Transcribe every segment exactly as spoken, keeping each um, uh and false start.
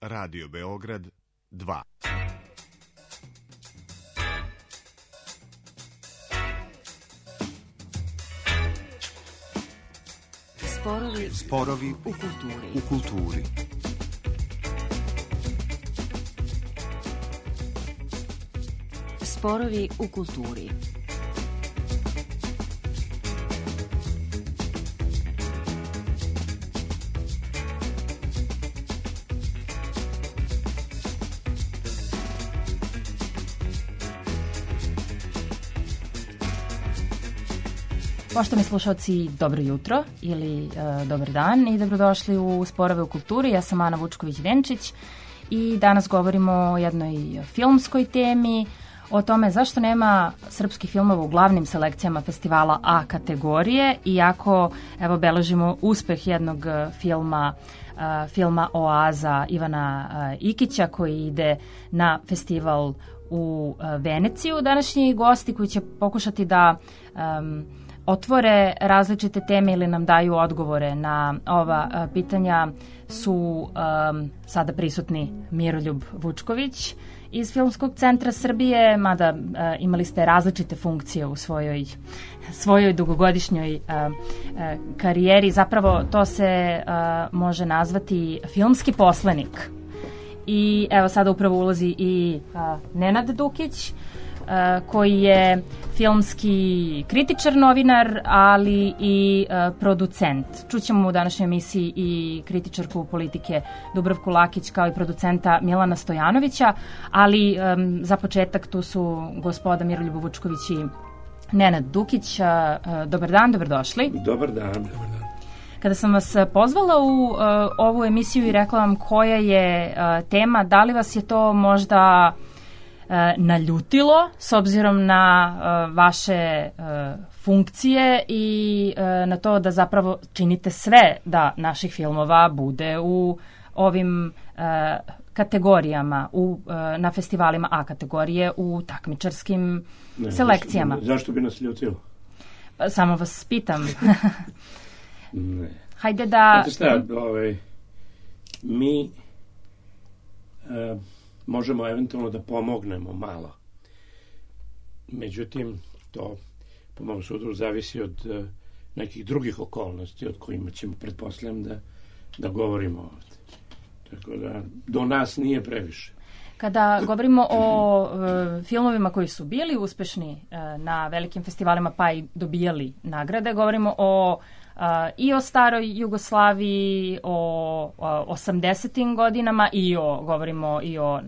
Radio Beograd dva. Sporovi, Sporovi u kulturi. U kulturi. Sporovi u kulturi. Poštovani slušalci, dobro jutro ili e, dobar dan i dobrodošli u Sporove u kulturi. Ja sam Ana Vučković-Venčić i danas govorimo o jednoj filmskoj temi, o tome zašto nema srpskih filmova u glavnim selekcijama festivala A kategorije, iako evo beležimo uspeh jednog filma, e, filma Oaza Ivana e, Ikića koji ide na festival u e, Veneciju. Današnji gosti koji će pokušati da um, otvore različite teme ili nam daju odgovore na ova uh, pitanja su um, sada prisutni Miroljub Vučković iz Filmskog centra Srbije, mada uh, imali ste različite funkcije u svojoj, svojoj dugogodišnjoj uh, uh, karijeri. Zapravo to se uh, može nazvati filmski poslenik. I evo sada upravo ulazi i uh, Nenad Dukić, koji je filmski kritičar, novinar, ali i uh, producent. Čućemo u današnjoj emisiji i kritičarku politike Dubravku Lakić kao i producenta Milana Stojanovića, ali um, za početak tu su gospoda Miroljub Vučković i Nenad Dukić. Uh, dobar dan, dobrodošli. Dobar dan. Dobar dan. Kada sam vas pozvala u uh, ovu emisiju i rekla vam koja je uh, tema, da li vas je to možda naljutilo s obzirom na uh, vaše uh, funkcije i uh, na to da zapravo činite sve da naših filmova bude u ovim uh, kategorijama, u, uh, na festivalima A kategorije u takmičarskim ne, selekcijama. Zašto, zašto bi nas ljutilo? Pa, samo vas pitam. Ne. Hajde da... Znate šta, ovaj, mi... Uh, možemo eventualno da pomognemo malo. Međutim, to po mom sudu zavisi od uh, nekih drugih okolnosti od kojima ćemo, pretpostavljam, da, da govorimo ovdje. Tako da, do nas nije previše. Kada govorimo o uh, filmovima koji su bili uspešni uh, na velikim festivalima pa i dobijali nagrade, govorimo o Uh, i o staroj Jugoslaviji, o, o osamdesetim godinama i o, govorimo i o uh,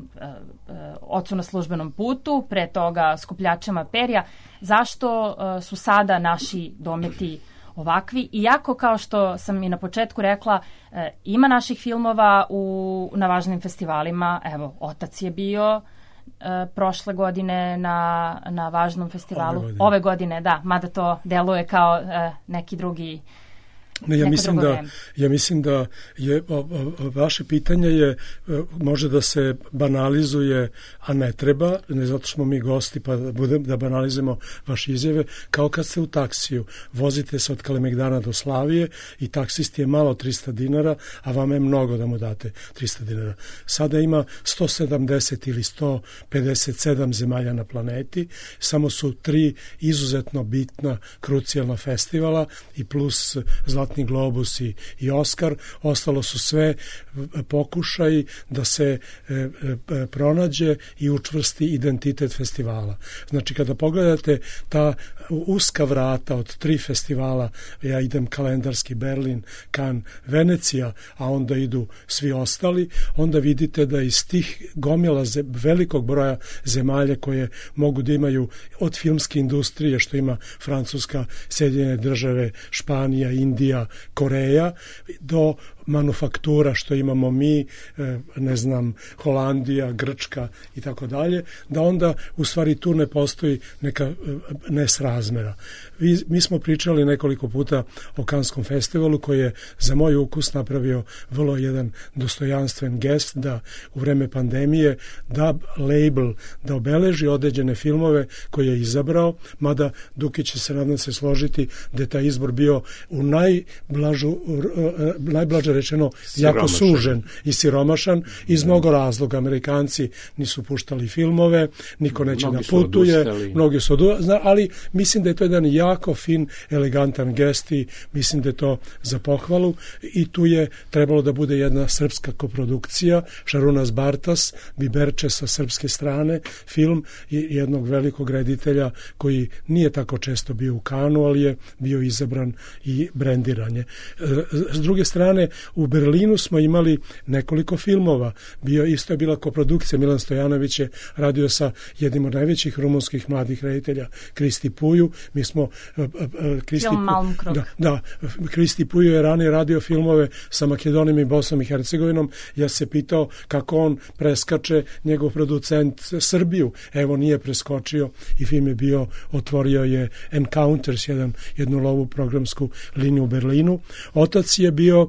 uh, Ocu na službenom putu, pre toga Skupljačima perja. Zašto uh, su sada naši dometi ovakvi? Iako, kao što sam i na početku rekla, uh, ima naših filmova u, na važnim festivalima. Evo, Otac je bio uh, prošle godine na, na važnom festivalu. Ove godine. Ove godine, da, mada to deluje kao uh, neki drugi Ne, ja mislim da ja mislim da je o, o, vaše pitanje je može da se banalizuje, a ne treba, ne zato što smo mi gosti pa da budem da banalizujemo vaše izjave, kao kad ste u taksiju, vozite se od Kalemegdana do Slavije i taksisti je malo trista dinara, a vama je mnogo da mu date trista dinara. Sada ima sto sedamdeset ili sto pedeset sedam zemalja na planeti, samo su tri izuzetno bitna, krucijalna festivala i plus Zlatni Globus i, i Oskar, ostalo su sve pokušaji da se e, e, pronađe i učvrsti identitet festivala. Znači, kada pogledate ta uska vrata od tri festivala, ja idem kalendarski Berlin, Cannes, Venecija, a onda idu svi ostali, onda vidite da iz tih gomila ze, velikog broja zemalja koje mogu da imaju od filmske industrije, što ima Francuska, Sjedinjene države, Španija, Indija, Koreja, do manufaktura što imamo mi, ne znam, Holandija, Grčka i tako dalje, da onda u stvari tu ne postoji neka nesrazmera. Mi smo pričali nekoliko puta o Kanskom festivalu koji je za moj ukus napravio vrlo jedan dostojanstven gest da u vreme pandemije da label, da obeleži određene filmove koje je izabrao, mada Dukić će se nadam se složiti da je taj izbor bio u najblažu, najblaže blaže rečeno, jako sužen i siromašan iz mnogo razloga. Amerikanci nisu puštali filmove, niko neće da putuje, mnogi su odustali, ali mislim da je to jedan jako fin, elegantan gest i mislim da je to za pohvalu i tu je trebalo da bude jedna srpska koprodukcija, Šarunas Bartas, Biberče sa srpske strane, film i jednog velikog reditelja koji nije tako često bio u Kanu, ali je bio izabran i brendiranje. S druge strane, u Berlinu smo imali nekoliko filmova. Bio, isto je bila koprodukcija, Milan Stojanović je radio sa jednim od najvećih rumunskih mladih reditelja, Kristi Puju. Mi smo... Kristi Film Malmkrog. Da, da, Kristi Puju je ranije radio filmove sa Makedonijom i Bosnom i Hercegovinom. Ja se pitao kako on preskače njegov producent Srbiju. Evo, nije preskočio i film je bio, otvorio je Encounters, jedan, jednu lovu programsku liniju u Berlinu. Otac je bio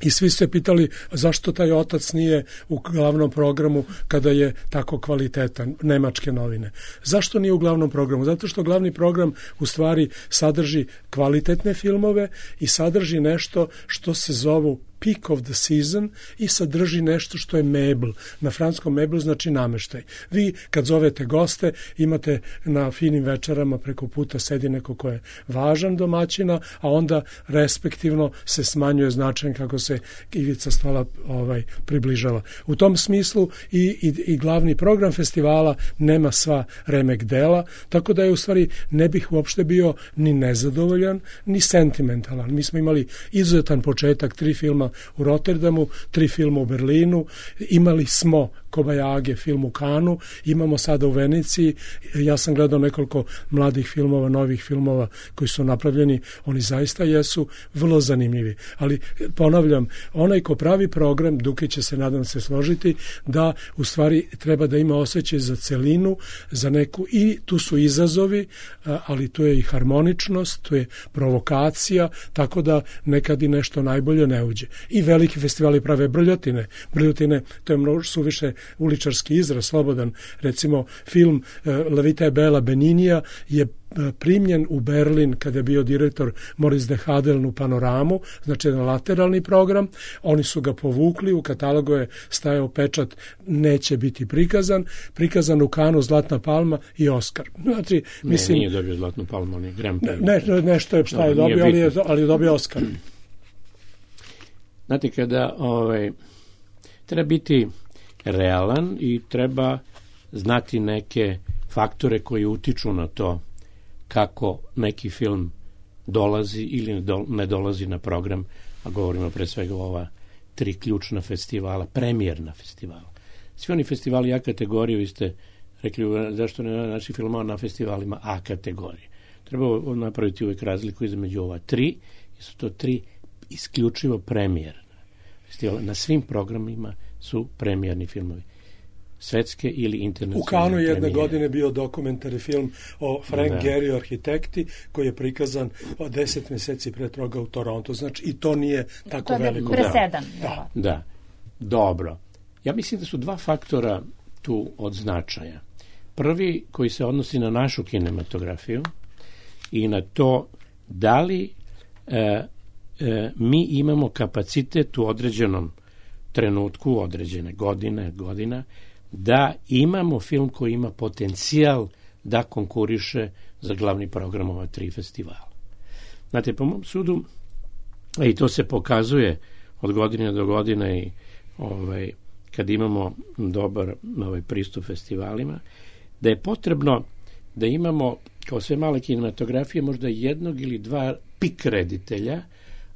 i svi su se pitali zašto taj otac nije u glavnom programu kada je tako kvalitetan, nemačke novine. Zašto nije u glavnom programu? Zato što glavni program u stvari sadrži kvalitetne filmove i sadrži nešto što se zovu peak of the season i sadrži nešto što je mebl. Na francuskom mebl znači nameštaj. Vi kad zovete goste imate na finim večerama preko puta sedi neko ko je važan domaćina, a onda respektivno se smanjuje značaj kako se ivica stola ovaj, približava. U tom smislu i, i, i glavni program festivala nema sva remek dela, tako da je u stvari ne bih uopšte bio ni nezadovoljan, ni sentimentalan. Mi smo imali izuzetan početak, tri filma u Rotterdamu, tri filma u Berlinu, imali smo Kobajage film u Kanu, imamo sada u Veneciji, ja sam gledao nekoliko mladih filmova, novih filmova koji su napravljeni, oni zaista jesu vrlo zanimljivi, ali ponavljam, onaj ko pravi program, Dukić će se nadam se složiti, da u stvari treba da ima osjećaj za celinu, za neku, i tu su izazovi, ali tu je i harmoničnost, tu je provokacija, tako da nekad i nešto najbolje ne uđe. I veliki festivali prave brljotine. Brljotine, to je mnogo suviše uličarski izraz, slobodan. Recimo, film La Vita e Bella Beninija je primljen u Berlin kada je bio direktor Moritz de Hadeln u Panoramu, znači jedan lateralni program. Oni su ga povukli, u katalogu je stajao pečat neće biti prikazan, prikazan u Kanu Zlatna palma i Oskar. Znači, mislim, ne, nije dobio Zlatnu palmu, on je Grand Prix. Ne, nešto je šta je dobio, ali je, ali je dobio Oskar. Znate, kada ovaj, treba biti realan i treba znati neke faktore koji utiču na to kako neki film dolazi ili ne dolazi na program, a govorimo pre svega o ova tri ključna festivala, premijerna festivala. Svi oni festivali A kategorije, vi ste rekli zašto ne naši filmova na festivalima A kategorije. Treba napraviti uvijek razliku između ova tri, i su to tri isključivo premijerna festivala. Na svim programima su premijerni filmovi. Svetske ili internacionalne. U Kanu jedne premijere. Godine bio dokumentarni film o Frank da. Gehry arhitekti koji je prikazan od deset mjeseci pre toga u Torontu. Znači i to nije tako to veliko. To je presedan. Da. da. da. Dobro. Ja mislim da su dva faktora tu od značaja. Prvi koji se odnosi na našu kinematografiju i na to da li e, e, mi imamo kapacitet u određenom trenutku, određene godine, godina, da imamo film koji ima potencijal da konkuriše za glavni program ova tri festivala. Znate, po mom sudu, i to se pokazuje od godine do godine i ovaj, kad imamo dobar ovaj, pristup festivalima, da je potrebno da imamo, kao sve male kinematografije, možda jednog ili dva pik reditelja,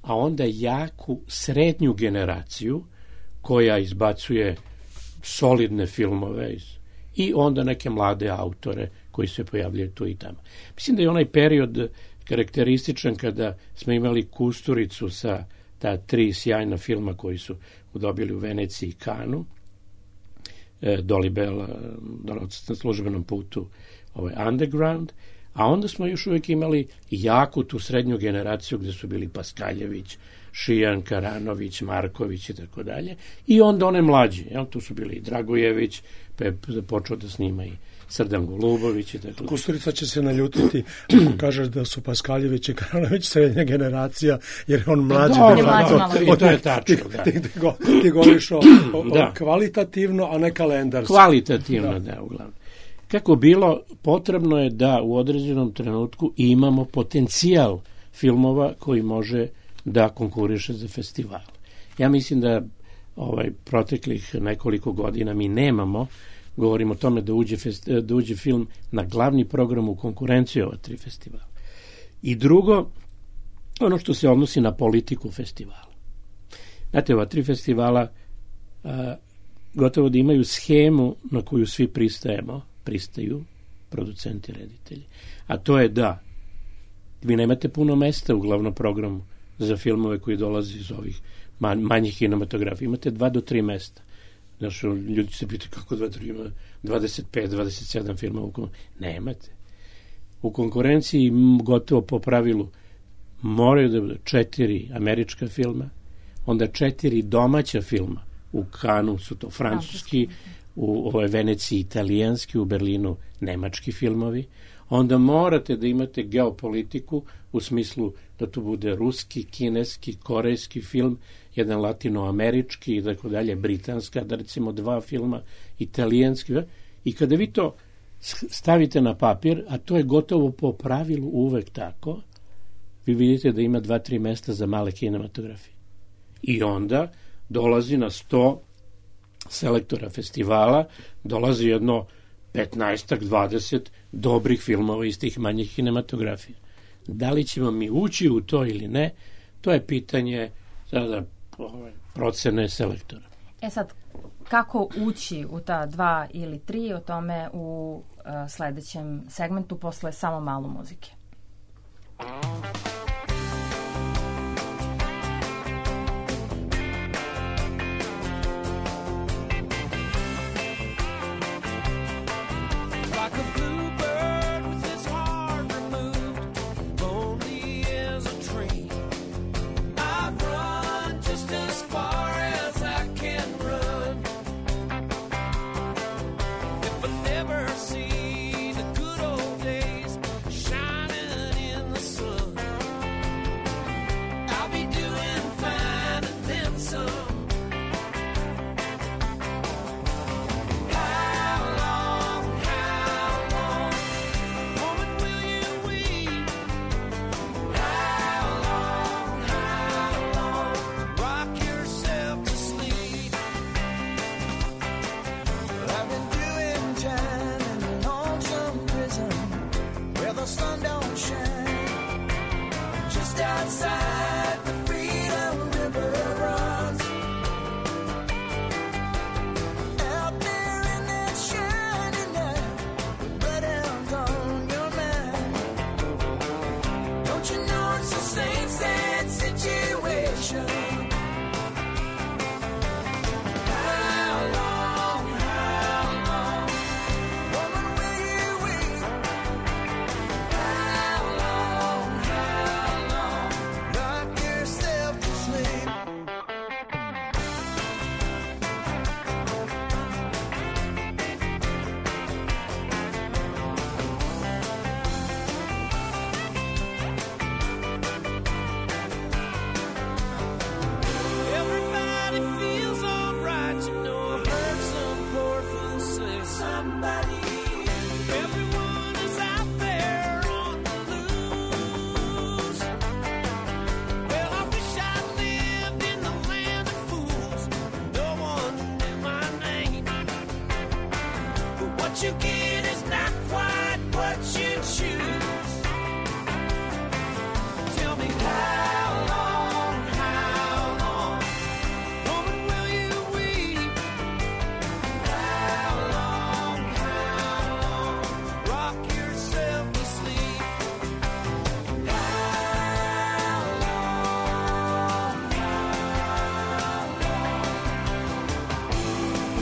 a onda jaku srednju generaciju koja izbacuje solidne filmove i onda neke mlade autore koji se pojavljaju tu i tamo. Mislim da je onaj period karakterističan kada smo imali Kusturicu sa ta tri sjajna filma koji su dobili u Veneciji i Kanu, Dolibel na službenom putu ovaj Underground, a onda smo još uvijek imali jaku tu srednju generaciju gde su bili Paskaljević, Šijan, Karanović, Marković i tako dalje. I onda one mlađe. Jel? Tu su bili i Dragojević, pa je počeo da snima i Srdan Golubović i tako. Kusturica će se naljutiti ako kažeš da su Paskaljević i Karanović srednja generacija, jer je on mlađi. Dobro, de facto, dobro, i to je tačno. Da. Ti, ti, ti, ti govoriš o, o, da. o kvalitativno, a ne kalendarski. Kvalitativno, da, da uglavnom. Kako bilo, potrebno je da u određenom trenutku imamo potencijal filmova koji može da konkuriše za festival. Ja mislim da ovaj proteklih nekoliko godina mi nemamo, govorimo o tome da uđe, festi, da uđe film na glavni program u konkurenciju ova tri festivala. I drugo, ono što se odnosi na politiku festivala. Znate, ova tri festivala a, gotovo da imaju schemu na koju svi pristajemo, pristaju producenti, reditelji. A to je da vi nemate puno mesta u glavnom programu za filmove koji dolaze iz ovih manjih kinematografija. Imate dva do tri mesta. Znaš, ljudi se pitaju kako dva, tri, ima dvadeset pet, dvadeset sedam filmova u konkurenciji. Nemate. U konkurenciji gotovo po pravilu moraju da bude četiri američka filma, onda četiri domaća filma. U Kanu su to francuski, u ovoj Veneciji italijanski, u Berlinu nemački filmovi. Onda morate da imate geopolitiku u smislu da tu bude ruski, kineski, korejski film, jedan latinoamerički i tako dalje, britanska, da recimo dva filma, italijanski. I kada vi to stavite na papir, a to je gotovo po pravilu uvek tako, vi vidite da ima dva, tri mesta za male kinematografije. I onda dolazi na sto selektora festivala, dolazi jedno petnaestak, dvadeset dobrih filmova iz tih manjih kinematografija. Da li ćemo mi ući u to ili ne, to je pitanje sada procene selektora. E sad, kako ući u ta dva ili tri, o tome u uh, sledećem segmentu posle samo malo muzike.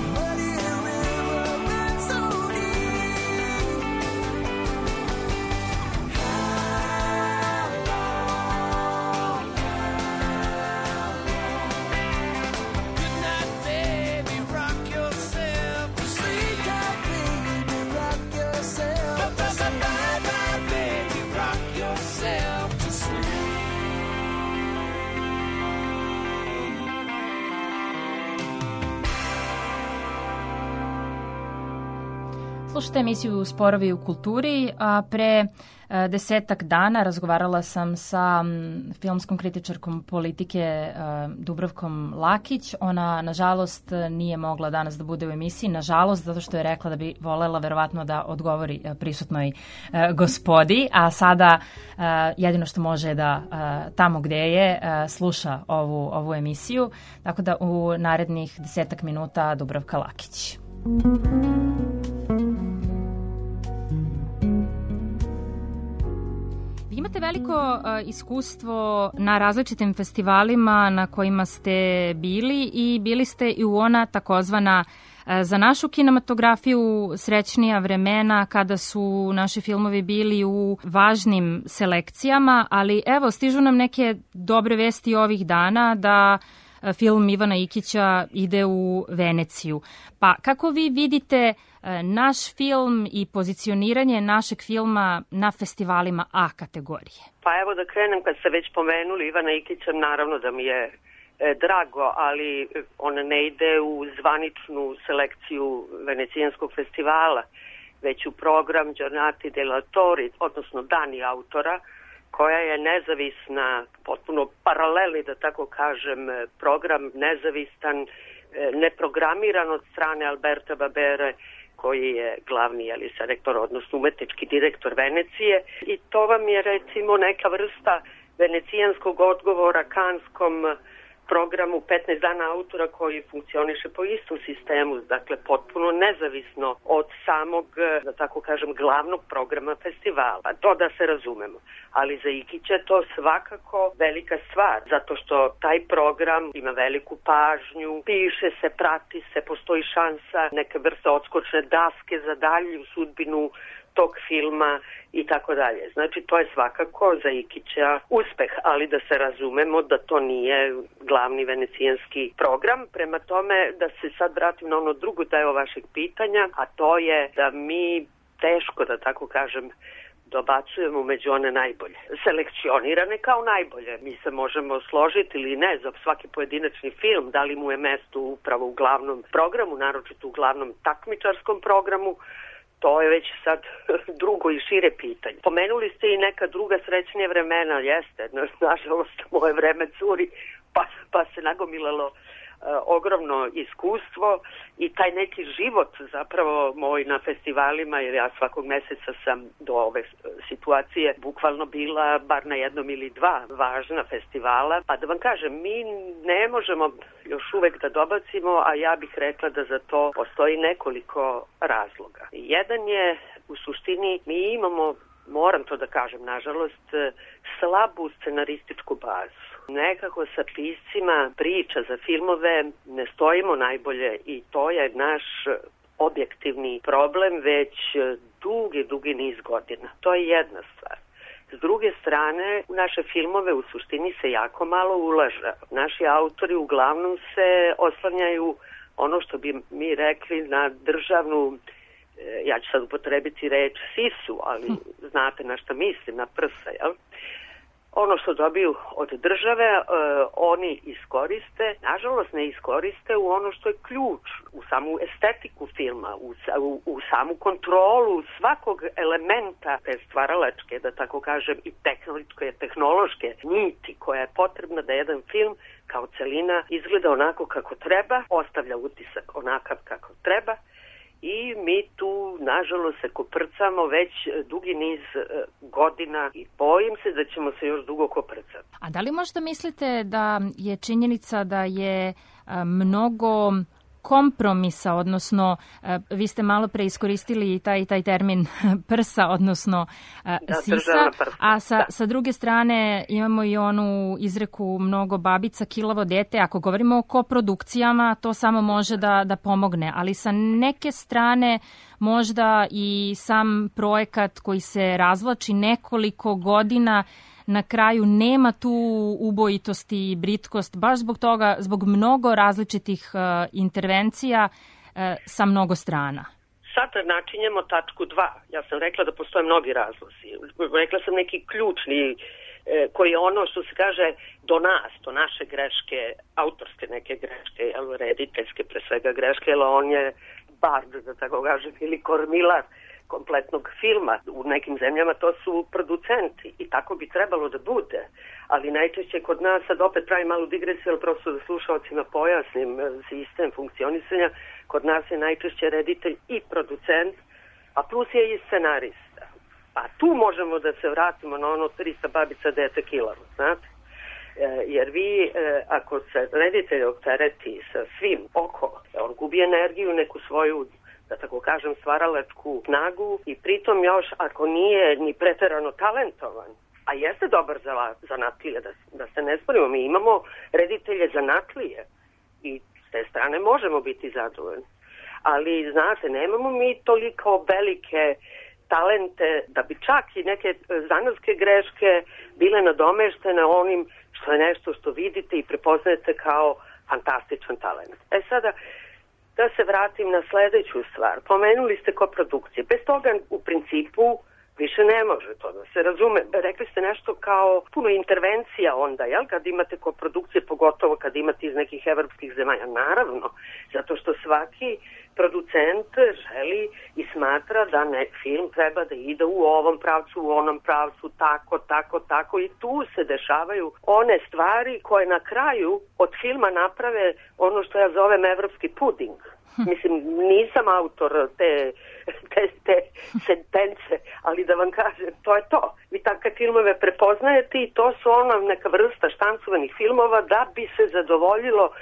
Muddy river runs so deep. Slušajte emisiju Sporovi u kulturi, a pre desetak dana razgovarala sam sa filmskom kritičarkom politike Dubravkom Lakić. Ona, nažalost, nije mogla danas da bude u emisiji, nažalost, zato što je rekla da bi volela verovatno da odgovori prisutnoj gospodi, a sada jedino što može da tamo gde je sluša ovu, ovu emisiju, tako da u narednih desetak minuta Dubravka Lakić. Imate veliko uh, iskustvo na različitim festivalima na kojima ste bili i bili ste i u ona takozvana uh, za našu kinematografiju srećnija vremena kada su naši filmovi bili u važnim selekcijama, ali evo stižu nam neke dobre vesti ovih dana da uh, film Ivana Ikića ide u Veneciju. Pa kako vi vidite naš film i pozicioniranje našeg filma na festivalima A kategorije? Pa evo da krenem, kad ste već pomenuli Ivana Ikića, naravno da mi je e, drago, ali on ne ide u zvaničnu selekciju Venecijanskog festivala, već u program Giornate degli Autori, odnosno Dani autora, koja je nezavisna, potpuno paralelni, da tako kažem, program, nezavistan, neprogramiran od strane Alberta Babere, koji je glavni jeli, selektor, odnosno umetnički direktor Venecije. I to vam je recimo neka vrsta venecijanskog odgovora kanskom programu petnaest dana autora koji funkcioniše po istom sistemu, dakle potpuno nezavisno od samog, da tako kažem, glavnog programa festivala. To da se razumemo. Ali za Ikića je to svakako velika stvar, zato što taj program ima veliku pažnju, piše se, prati se, postoji šansa neke vrste odskočne daske za dalju sudbinu tog filma i tako dalje. Znači, to je svakako za Ikića uspeh, ali da se razumemo da to nije glavni venecijanski program. Prema tome, da se sad vratim na ono drugo deo vašeg pitanja, a to je da mi teško, da tako kažem, dobacujemo među one najbolje. Selekcionirane kao najbolje. Mi se možemo složiti ili ne za svaki pojedinačni film, da li mu je mesto upravo u glavnom programu, naročito u glavnom takmičarskom programu. To je već sad drugo i šire pitanje. Pomenuli ste i neka druga srećnija vremena, jeste. Nažalost, moje vreme curi, pa, pa se nagomilalo uh, ogromno iskustvo i taj neki život zapravo moj na festivalima, jer ja svakog meseca sam do ove situacije bukvalno bila bar na jednom ili dva važna festivala. Pa da vam kažem, mi ne možemo još uvek da dobacimo, a ja bih rekla da za to postoji nekoliko razloga. Jedan je, u suštini, mi imamo, moram to da kažem, nažalost, slabu scenarističku bazu. Nekako sa piscima priča za filmove ne stojimo najbolje i to je naš objektivni problem već dugi, dugi niz godina. To je jedna stvar. S druge strane, u naše filmove u suštini se jako malo ulaže. Naši autori uglavnom se oslanjaju, ono što bi mi rekli, na državnu, ja ću sad upotrebiti reč sisu, ali znate na šta mislim, na prsa, jel? Ono što dobiju od države, e, oni iskoriste, nažalost ne iskoriste u ono što je ključ, u samu estetiku filma, u, u, u samu kontrolu svakog elementa te stvaralačke, da tako kažem, i tehnološke, tehnološke niti koja je potrebna da jedan film kao celina izgleda onako kako treba, ostavlja utisak onakav kako treba. I mi tu, nažalost, se koprcamo već dugi niz godina i bojim se da ćemo se još dugo koprcati. A da li možda mislite da je činjenica da je mnogo kompromisa, odnosno vi ste malo pre iskoristili taj, taj termin prsa, odnosno da, sisa, a sa, sa druge strane imamo i onu izreku mnogo babica, kilavo dete. Ako govorimo o koprodukcijama, to samo može da, da pomogne, ali sa neke strane možda i sam projekat koji se razvlači nekoliko godina na kraju nema tu ubojitosti i britkost, baš zbog toga, zbog mnogo različitih uh, intervencija uh, sa mnogo strana. Sad načinjemo tačku dva. Ja sam rekla da postoje mnogi razlozi. Rekla sam neki ključni, eh, koji je ono što se kaže do nas, do naše greške, autorske neke greške, jel, rediteljske pre svega greške, jer on je bard, da tako kažem, ili kormilar kompletnog filma. U nekim zemljama to su producenti i tako bi trebalo da bude. Ali najčešće kod nas, sad opet pravim malu digresiju, ali prosto da slušalcima pojasnim sistem funkcionisanja, kod nas je najčešće reditelj i producent, a plus je i scenarista. A tu možemo da se vratimo na ono trista babica dete kilavo, znate? E, jer vi, e, ako se reditelj optereti sa svim oko, on gubi energiju, neku svoju, da tako kažem, stvaralačku snagu i pritom još, ako nije ni preterano talentovan, a jeste dobar za zanatlije, da, da se ne sporimo, mi imamo reditelje zanatlije i s te strane možemo biti zadovoljni. Ali, znate, nemamo mi toliko velike talente da bi čak i neke zanatske greške bile nadomeštene onim što je nešto što vidite i prepoznajete kao fantastičan talent. E sada, da se vratim na sledeću stvar. Pomenuli ste koprodukcije. Bez toga u principu više ne može to da se razume. Rekli ste nešto kao puno intervencija onda, jel? Kad imate koprodukcije, pogotovo kad imate iz nekih evropskih zemalja. Naravno, zato što svaki producent želi i smatra da ne, film treba da ide u ovom pravcu, u onom pravcu, tako, tako, tako. I tu se dešavaju one stvari koje na kraju od filma naprave ono što ja zovem evropski puding. Mislim, nisam autor te, te, te sentence, ali da vam kažem, to je to. Vi takve filmove prepoznajete i to su ona neka vrsta štancovanih filmova da bi se zadovoljilo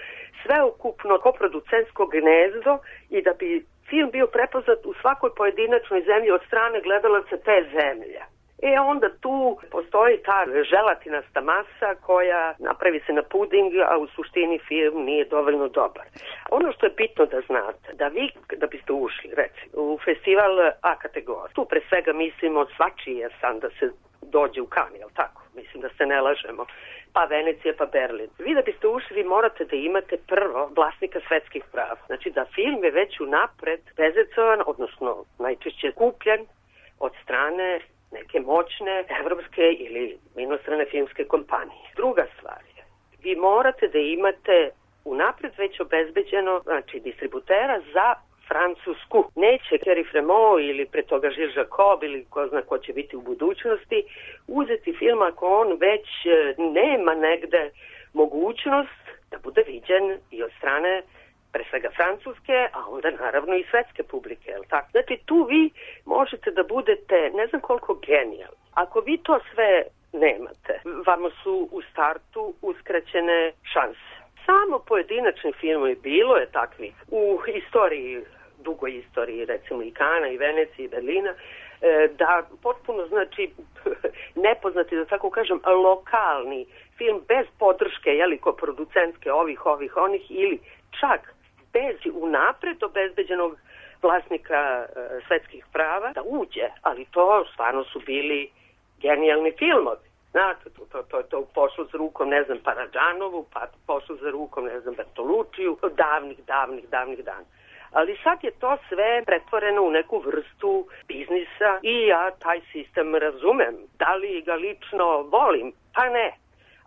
sveukupno koproducentsko gnezdo i da bi film bio prepoznat u svakoj pojedinačnoj zemlji od strane gledalaca te zemlje. E onda tu postoji ta želatinasta masa koja napravi se na puding, a u suštini film nije dovoljno dobar. Ono što je bitno da znate, da vi, da biste ušli, recimo, u festival A kategorije, tu pre svega mislimo svačiji je san da se dođe u Cannes, jel tako? Mislim da se ne lažemo. Pa Venecija, pa Berlin. Vi da biste ušli, vi morate da imate prvo vlasnika svetskih prava. Znači da film je već unapred bezecovan, odnosno najčešće kupljen od strane neke moćne evropske ili inostrane filmske kompanije. Druga stvar je, vi morate da imate unapred već obezbeđeno, znači distributera za Francusku. Neće Thierry Fremont ili pre toga Gilles Jacob ili ko zna ko će biti u budućnosti uzeti film ako on već nema negde mogućnost da bude viđen i od strane pre svega francuske, a onda naravno i svetske publike. Tako? Znači tu vi možete da budete ne znam koliko genijal. Ako vi to sve nemate, vama su u startu uskraćene šanse. Samo pojedinačni filmovi, bilo je takvih u istoriji, dugoj istoriji, recimo i Kana, i Venecije, i Berlina, da potpuno, znači, nepoznati, da tako kažem, lokalni film bez podrške, jeliko producentske ovih, ovih, onih, ili čak bez unapred obezbeđenog vlasnika e, svetskih prava, da uđe, ali to stvarno su bili genijalni filmovi. Znate, to, to, to, to pošlo za rukom, ne znam, Paradžanovu, pa pošlo za rukom, ne znam, Bertolučiju, davnih, davnih, davnih dana. Ali sad je to sve pretvoreno u neku vrstu biznisa i ja taj sistem razumem. Da li ga lično volim? Pa ne.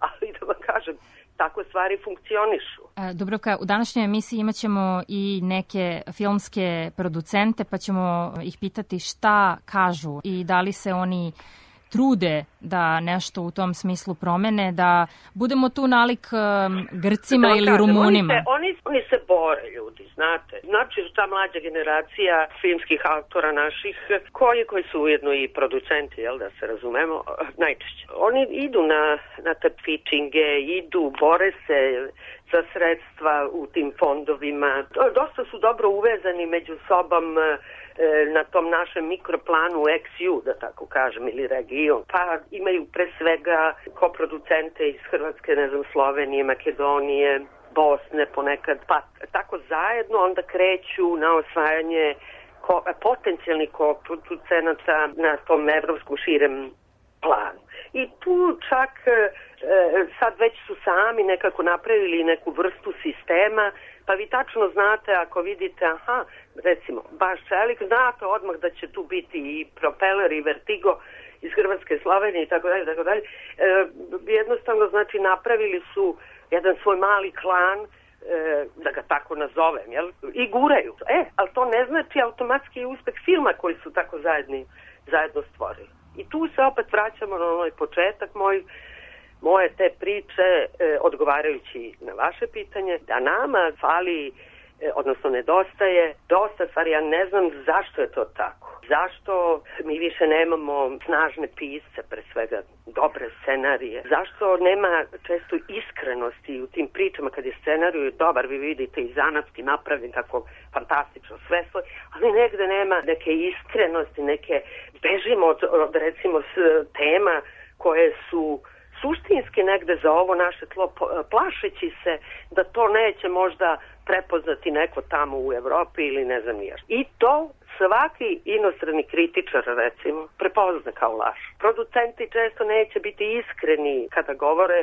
Ali da vam kažem, tako stvari funkcionišu. Dubravka, u današnjoj emisiji imat ćemo i neke filmske producente, pa ćemo ih pitati šta kažu i da li se oni trude da nešto u tom smislu promene, da budemo tu nalik Grcima da, ili kažem, Rumunima. Oni se, oni, oni se bore, ljudi, znate. Znači, ta mlađa generacija filmskih autora naših, koji, koji su ujedno i producenti, jel da se razumemo, najčešće. Oni idu na, na takmičenje, idu, bore se za sredstva u tim fondovima. Dosta su dobro uvezani među sobom na tom našem mikroplanu X U, da tako kažem, ili region. Pa imaju pre svega koproducente iz Hrvatske, ne znam, Slovenije, Makedonije, Bosne ponekad, pa tako zajedno onda kreću na osvajanje ko, potencijalnih koproducenata na tom evropskom širem planu. I tu čak e, sad već su sami nekako napravili neku vrstu sistema, pa vi tačno znate ako vidite, aha, recimo, baš Čelik, znate odmah da će tu biti i Propeller i Vertigo iz Hrvatske, Slovenije i tako dalje, tako dalje. E, jednostavno, znači, napravili su jedan svoj mali klan, e, da ga tako nazovem, jel? I guraju. E, ali to ne ne znači automatski uspeh filma koji su tako zajedni, zajedno stvorili. I tu se opet vraćamo na onaj početak moj, moje te priče, e, odgovarajući na vaše pitanje, da nama fali, e, odnosno nedostaje dosta stvari. Ja ne znam zašto je to tako. Zašto mi više nemamo snažne pisce, pre svega dobre scenarije? Zašto nema često iskrenosti u tim pričama kad je scenarij dobar, vi vidite i zanatski napravljen kako fantastično sve stoji, ali negde nema neke iskrenosti, neke bežimo od, od recimo s tema koje su suštinski negde za ovo naše tlo, plašeći se da to neće možda prepoznati neko tamo u Evropi ili ne znam nije. I to svaki inostrani kritičar, recimo, prepozna kao laž. Producenti često neće biti iskreni kada govore,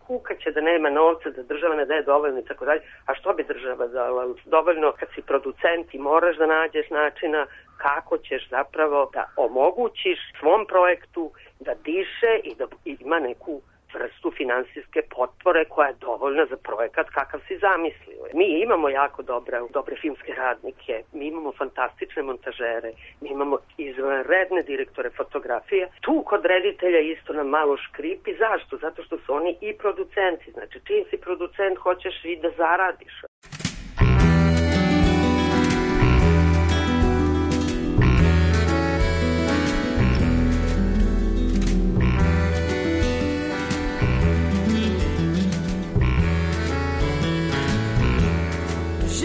kukaće da nema novca, da država ne daje dovoljno i tako dalje. A što bi država dala? Dovoljno kad si producent i moraš da nađeš načina kako ćeš zapravo da omogućiš svom projektu da diše i da ima neku vrstu finansijske potpore koja je dovoljna za projekat kakav si zamislio. Mi imamo jako dobre, dobre filmske radnike, mi imamo fantastične montažere, mi imamo izvanredne direktore fotografije. Tu kod reditelja isto nam malo škripi. Zašto? Zato što su oni i producenti. Znači, čim si producent, hoćeš i da zaradiš.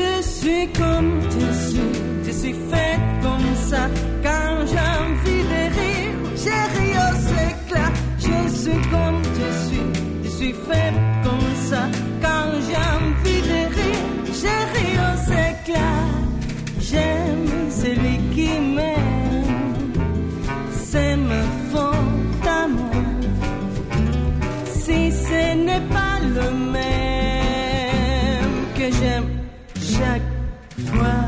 Je suis comme je suis, je suis faite comme ça. Quand j'ai envie de rire, j'ai ri aux éclats. Je suis comme je suis, je suis faite comme ça. Quand j'ai envie de rire, j'ai ri aux éclats. J'aime celui qui m'aime, c'est me fond d'amour. Si ce n'est pas le même que j'aime chaque fois,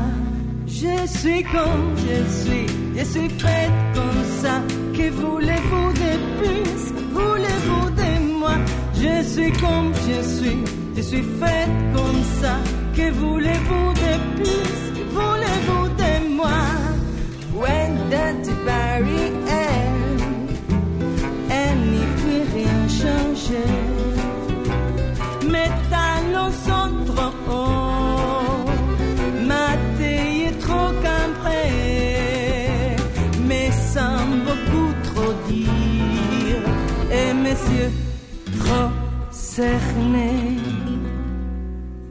je suis comme je suis, je suis faite comme ça. Que voulez-vous de plus, voulez-vous de moi? Je suis comme je suis, je suis faite comme ça. Que voulez-vous de plus, voulez-vous de moi? When that barrière, elle n'y peut rien changer. Mes talons sont trop hauts, ma taille est trop cambrée, mais sans beaucoup trop dire, et mes yeux trop cernés.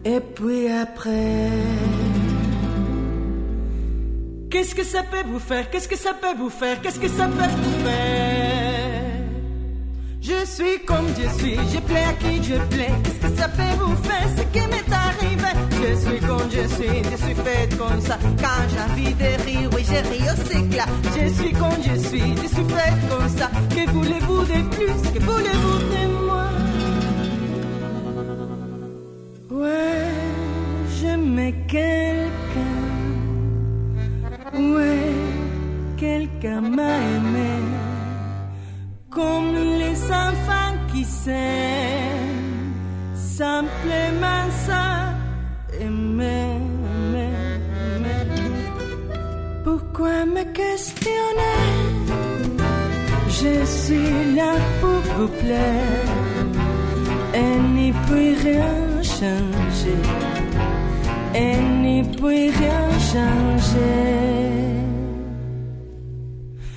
Et puis après, qu'est-ce que ça peut vous faire? Qu'est-ce que ça peut vous faire? Qu'est-ce que ça peut vous faire? Je suis comme je suis, je plais à qui je plais. Qu'est-ce que ça peut vous faire? Ce qui m'est arrivé. Je suis comme je suis, je suis faite comme ça. Quand j'ai envie de rire, oui, je ris aux éclats. Je suis comme je suis, je suis faite comme ça. Que voulez-vous de plus? Que voulez-vous de moi? Ouais, j'aimais quelqu'un. Ouais, quelqu'un m'a aimé. Comme les enfants qui s'aiment, simplement ça, aimer, aimer, aimer. Pourquoi me questionner? Je suis là pour vous plaire, et n'y peut rien changer, et n'y peut rien changer.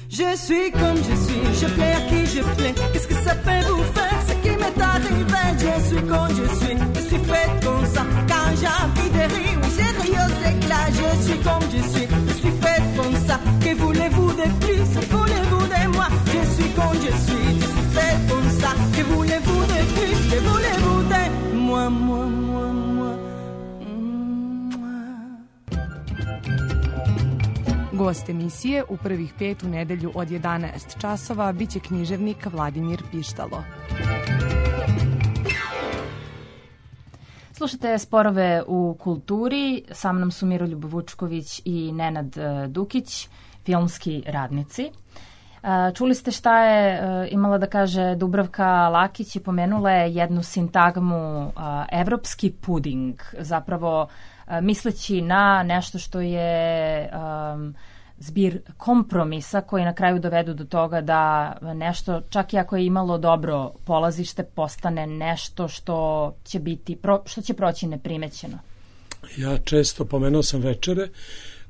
Je suis comme je suis, je plais à qui je plais. Qu'est-ce que ça peut vous faire? Ce qui m'est arrivé. Je suis comme je suis, je suis faite comme ça. Quand j'ai envie de rire, oui, j'ai ri aux éclats. Je suis comme je suis, je suis faite comme ça. Que voulez-vous de plus? Que voulez-vous de moi? Je suis comme je suis, je suis faite comme ça. Que voulez-vous de plus? Que voulez-vous de moi, moi, moi, moi? Gost emisije u prvih pet u nedelju od jedanaest časova biće književnik Vladimir Pištalo. Slušajte Sporove u kulturi, sa mnom su Miroljub Vučković i Nenad Dukić, filmski radnici. Čuli ste šta je imala da kaže Dubravka Lakić i pomenula je jednu sintagmu evropski puding. Zapravo misleći na nešto što je um, zbir kompromisa koji na kraju dovedu do toga da nešto, čak i ako je imalo dobro polazište, postane nešto što će biti, što će proći neprimećeno. Ja često pomenuo sam večere,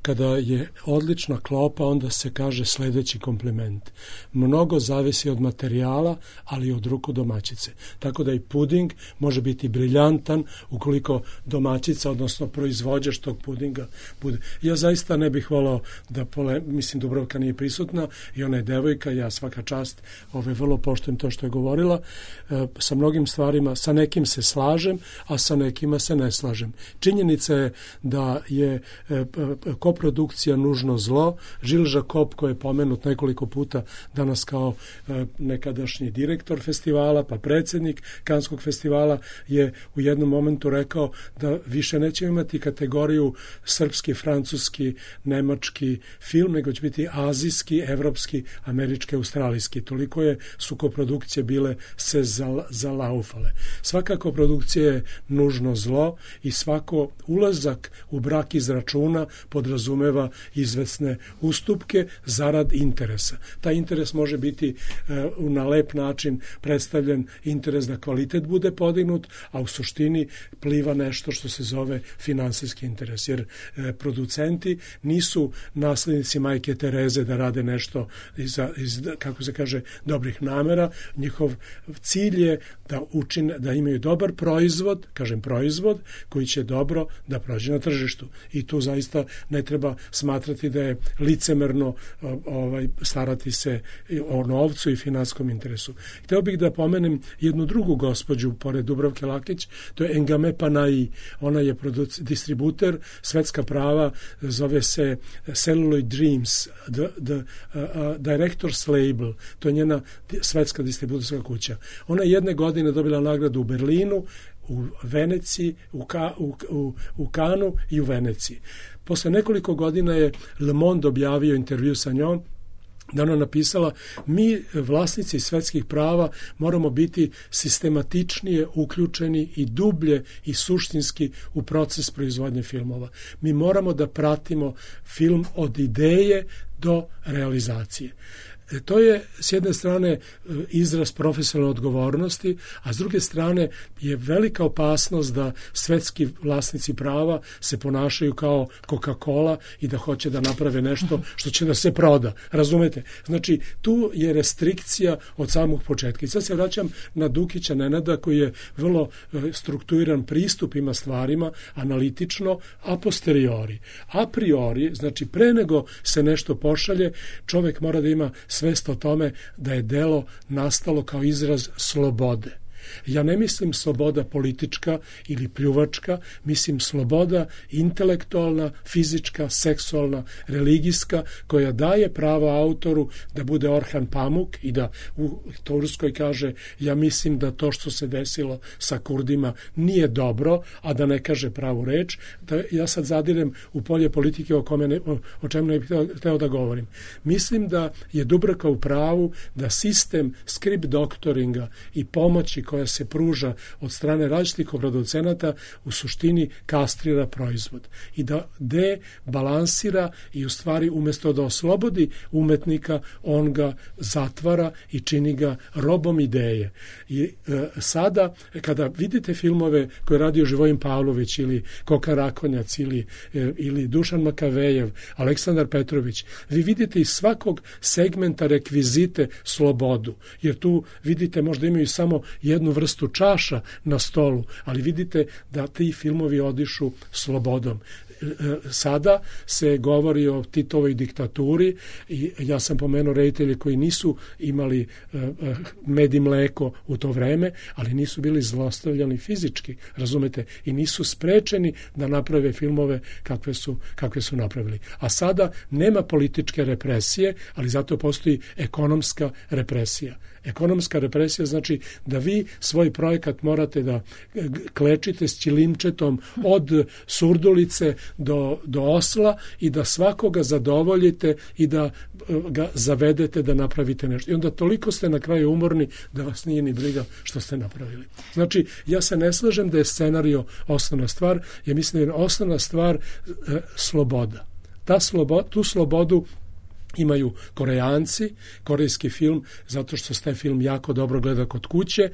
kada je odlična klopa, onda se kaže sledeći kompliment. Mnogo zavisi od materijala, ali i od ruku domaćice. Tako da i puding može biti briljantan ukoliko domaćica, odnosno proizvođač tog pudinga bude. Ja zaista ne bih volao da, pole, mislim, Dubravka nije prisutna i ona je devojka, ja svaka čast ove, vrlo poštujem to što je govorila. E, sa mnogim stvarima, sa nekim se slažem, a sa nekima se ne slažem. Činjenica je da je e, koprodukcija nužno zlo. Žil Žakop, koji je pomenut nekoliko puta danas kao e, nekadašnji direktor festivala, pa predsjednik Kanskog festivala, je u jednom momentu rekao da više nećemo imati kategoriju srpski, francuski, nemački film, nego će biti azijski, evropski, američki, australijski. Toliko je su koprodukcije bile se zalaufale. Svaka koprodukcija je nužno zlo i svako ulazak u brak iz računa podrazumeva izvesne ustupke zarad interesa. Taj interes može biti e, na lep način predstavljen interes da kvalitet bude podignut, a u suštini pliva nešto što se zove finansijski interes, jer e, producenti nisu naslednici majke Tereze da rade nešto iz, iz, kako se kaže, dobrih namera. Njihov cilj je da učine, da imaju dobar proizvod, kažem proizvod, koji će dobro da prođe na tržištu. I tu zaista ne treba smatrati da je licemerno ovaj, starati se o novcu i finanskom interesu. Hteo bih da pomenem jednu drugu gospođu pored Dubravke Lakić, to je Engame Panayi. Ona je produc- distributer, svetska prava, zove se Celluloid Dreams, the, the, uh, uh, Director's Label, to je njena svetska distributorska kuća. Ona je jedne godine dobila nagradu u Berlinu, u Veneciji, u, Ka, u, u, u Kanu i u Veneciji. Posle nekoliko godina je Le Monde objavio intervju sa njom, da ona napisala, mi vlasnici svetskih prava moramo biti sistematičnije uključeni i dublje i suštinski u proces proizvodnje filmova. Mi moramo da pratimo film od ideje do realizacije. To je s jedne strane izraz profesionalne odgovornosti, a s druge strane je velika opasnost da svetski vlasnici prava se ponašaju kao Coca-Cola i da hoće da naprave nešto što će da se proda. Razumete? Znači, tu je restrikcija od samog početka. I sad se vraćam na Dukića Nenada, koji je vrlo strukturiran pristup ima stvarima, analitično, a posteriori. A priori, znači pre nego se nešto pošalje, čovek mora da ima svest o tome da je delo nastalo kao izraz slobode. Ja ne mislim sloboda politička ili pljuvačka, mislim sloboda intelektualna, fizička, seksualna, religijska, koja daje pravo autoru da bude Orhan Pamuk i da u Turskoj kaže ja mislim da to što se desilo sa Kurdima nije dobro, a da ne kaže pravu reč. Da ja sad zadirem u polje politike o, kome ne, o, o čemu ne bih hteo da govorim. Mislim da je Dubravka u pravu da sistem script doktoringa i pomoći koja se pruža od strane različitih producenata u suštini kastrira proizvod i da debalansira i u stvari umjesto da oslobodi umetnika, on ga zatvara i čini ga robom ideje. I e, sada kada vidite filmove koje radio Živojin Pavlović ili Koka Rakonjac ili, e, ili Dušan Makavejev, Aleksandar Petrović, vi vidite iz svakog segmenta rekvizite slobodu, jer tu vidite možda imaju samo jednu vrstu čaša na stolu, ali vidite da ti filmovi odišu slobodom. Sada se govori o Titovoj diktaturi i ja sam pomenuo reditelje koji nisu imali med i mleko u to vreme, ali nisu bili zlostavljani fizički, razumete, i nisu sprečeni da naprave filmove kakve su, kakve su napravili. A sada nema političke represije, ali zato postoji ekonomska represija. Ekonomska represija znači da vi svoj projekat morate da klečite s ćilimčetom od Surdulice do, do Osla i da svakoga zadovoljite i da ga zavedete da napravite nešto. I onda toliko ste na kraju umorni da vas nije ni briga što ste napravili. Znači, ja se ne slažem da je scenario osnovna stvar, ja mislim da je osnovna stvar e, sloboda. Ta slobo, tu slobodu imaju Korejanci, korejski film, zato što se taj film jako dobro gleda kod kuće.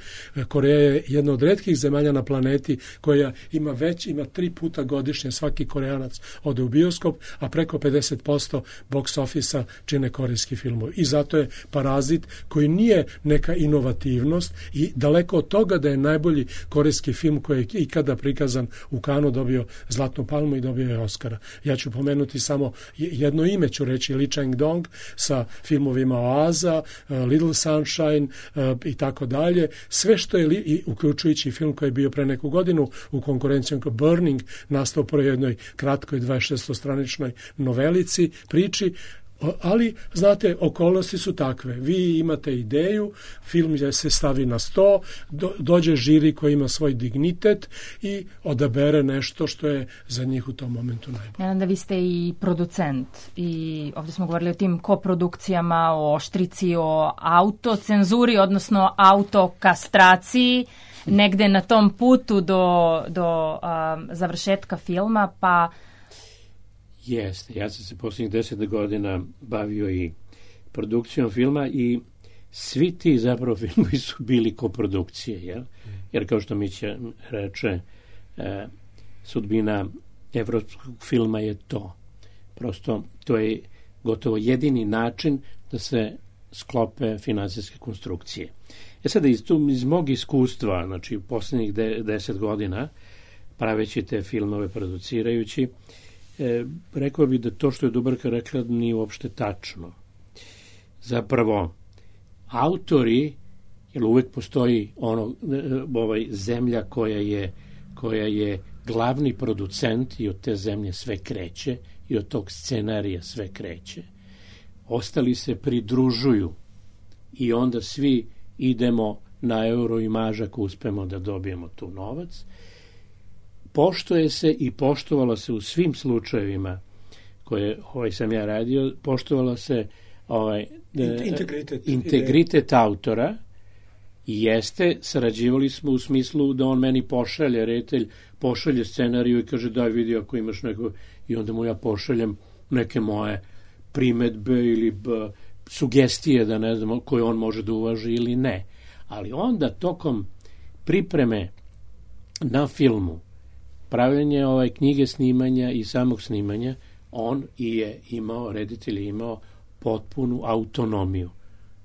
Koreja je jedna od retkih zemalja na planeti koja ima već, ima tri puta godišnje svaki Korejanac ode u bioskop, a preko pedeset posto box office-a čine korejski filmovi. I zato je Parazit, koji nije neka inovativnost i daleko od toga da je najbolji korejski film koji je ikada prikazan u Kanu, dobio Zlatnu palmu i dobio je Oscara. Ja ću pomenuti samo jedno ime, ću reći Lee Chang-dong sa filmovima Oaza, Little Sunshine i tako dalje. Sve što je, i uključujući film koji je bio pre neku godinu u konkurencijom Burning, nastao po jednoj kratkoj dvadeset šestostraničnoj novelici, priči, ali, znate, okolnosti su takve. Vi imate ideju, film je se stavi na sto, do, dođe žiri koji ima svoj dignitet i odabere nešto što je za njih u tom momentu najbolje. Ja, da vi ste i producent i ovdje smo govorili o tim koprodukcijama, o oštrici, o autocenzuri, odnosno autokastraciji, negde na tom putu do, do um, završetka filma, pa Jeste, ja sam se posljednjih deset godina bavio i produkcijom filma i svi ti zapravo filmovi su bili koprodukcije, jel? Jer kao što Mića reče, e, sudbina evropskog filma je to. Prosto to je gotovo jedini način da se sklope finansijske konstrukcije. E sada iz, tu, iz mog iskustva, znači posljednjih de, deset godina, praveći te filmove, producirajući, E, rekao bih da to što je Dubravka rekla nije uopšte tačno. Zapravo, autori, jer uvek postoji ono, ovaj, zemlja koja je, koja je glavni producent i od te zemlje sve kreće i od tog scenarija sve kreće. Ostali se pridružuju i onda svi idemo na euro i maž ako uspemo da dobijemo tu novac. Poštuje se i poštovalo se u svim slučajevima koje ovaj sam ja radio, poštovalo se ovaj, integritet, integritet autora i jeste, sarađivali smo u smislu da on meni pošalje, reditelj pošalje scenariju i kaže daj vidi ako imaš neko, i onda mu ja pošaljem neke moje primetbe ili b, sugestije da ne znam koje on može da uvaži ili ne. Ali onda tokom pripreme na filmu, pravljenje ovaj knjige snimanja i samog snimanja, on je imao, reditelj je imao potpunu autonomiju.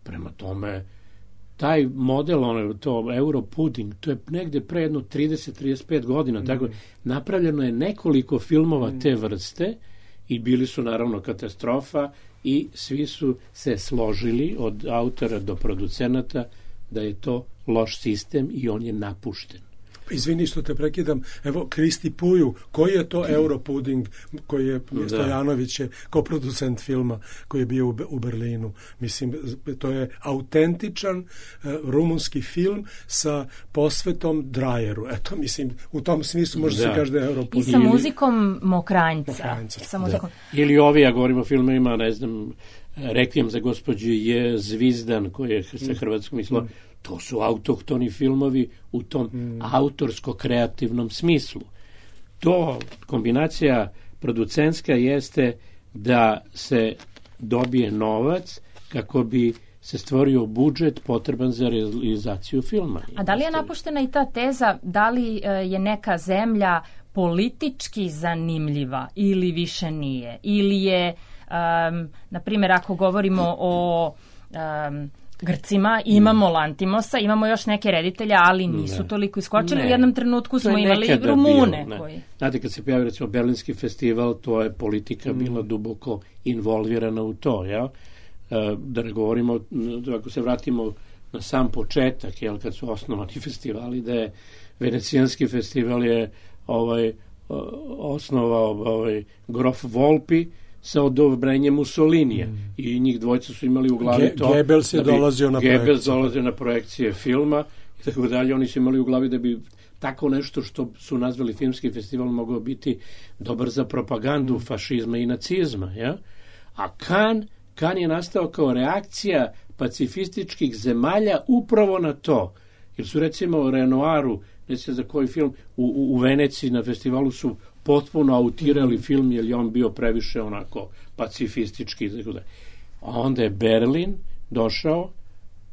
Prema tome, taj model, ono, to Europuding, to je negde pre jedno trideset do trideset pet godina, mm. tako napravljeno je nekoliko filmova mm. te vrste i bili su naravno katastrofa i svi su se složili od autora do producenata da je to loš sistem i on je napušten. Izvini što te prekidam, evo Kristi Puju, koji je to Europuding koji je Stojanović je koproducent filma koji je bio u Berlinu. Mislim, to je autentičan uh, rumunski film sa posvetom Drajeru. Eto, mislim, u tom smislu može da se kaže da je Europuding. I sa muzikom Mokranjca. Mokranjca. Sa muzikom. Da. Ili ovi, ja govorim o filmovima, ne znam, Rekvijem za gospođu je Zvizdan, koji je sa hrvatskom mislom. Mm. To su autohtoni filmovi u tom mm. autorsko-kreativnom smislu. To, kombinacija producentska jeste da se dobije novac kako bi se stvorio budžet potreban za realizaciju filma. A da li je napuštena i ta teza da li je neka zemlja politički zanimljiva ili više nije? Ili je, um, na primjer, ako govorimo o um, Grcima, imamo Lantimosa, imamo još neke reditelja, ali nisu ne. toliko iskočili. Ne. U jednom trenutku smo imali Rumune. Bio, koji... Znate, kad se pojavio recimo Berlinski festival, to je politika mm. bila duboko involvirana u to, jel? Da ne govorimo, ako se vratimo na sam početak, jel, kad su osnovani festivali, da je Venecijanski festival je ovaj, osnovao ovaj, Grof Volpi sa odobrenjem Mussolinija mm. i njih dvojca su imali u glavi Ge- to. Goebbels je dolazio na projekcije. Goebbels dolazio na projekcije filma i tako dalje. Oni su imali u glavi da bi tako nešto što su nazvali filmski festival mogao biti dobar za propagandu fašizma i nacizma. Ja? A Cannes, Cannes je nastao kao reakcija pacifističkih zemalja upravo na to. Jer su recimo Renoiru, ne znam za koji film, u, u, u Veneciji na festivalu su potpuno autirali film jer je on bio previše onako pacifistički. A onda je Berlin došao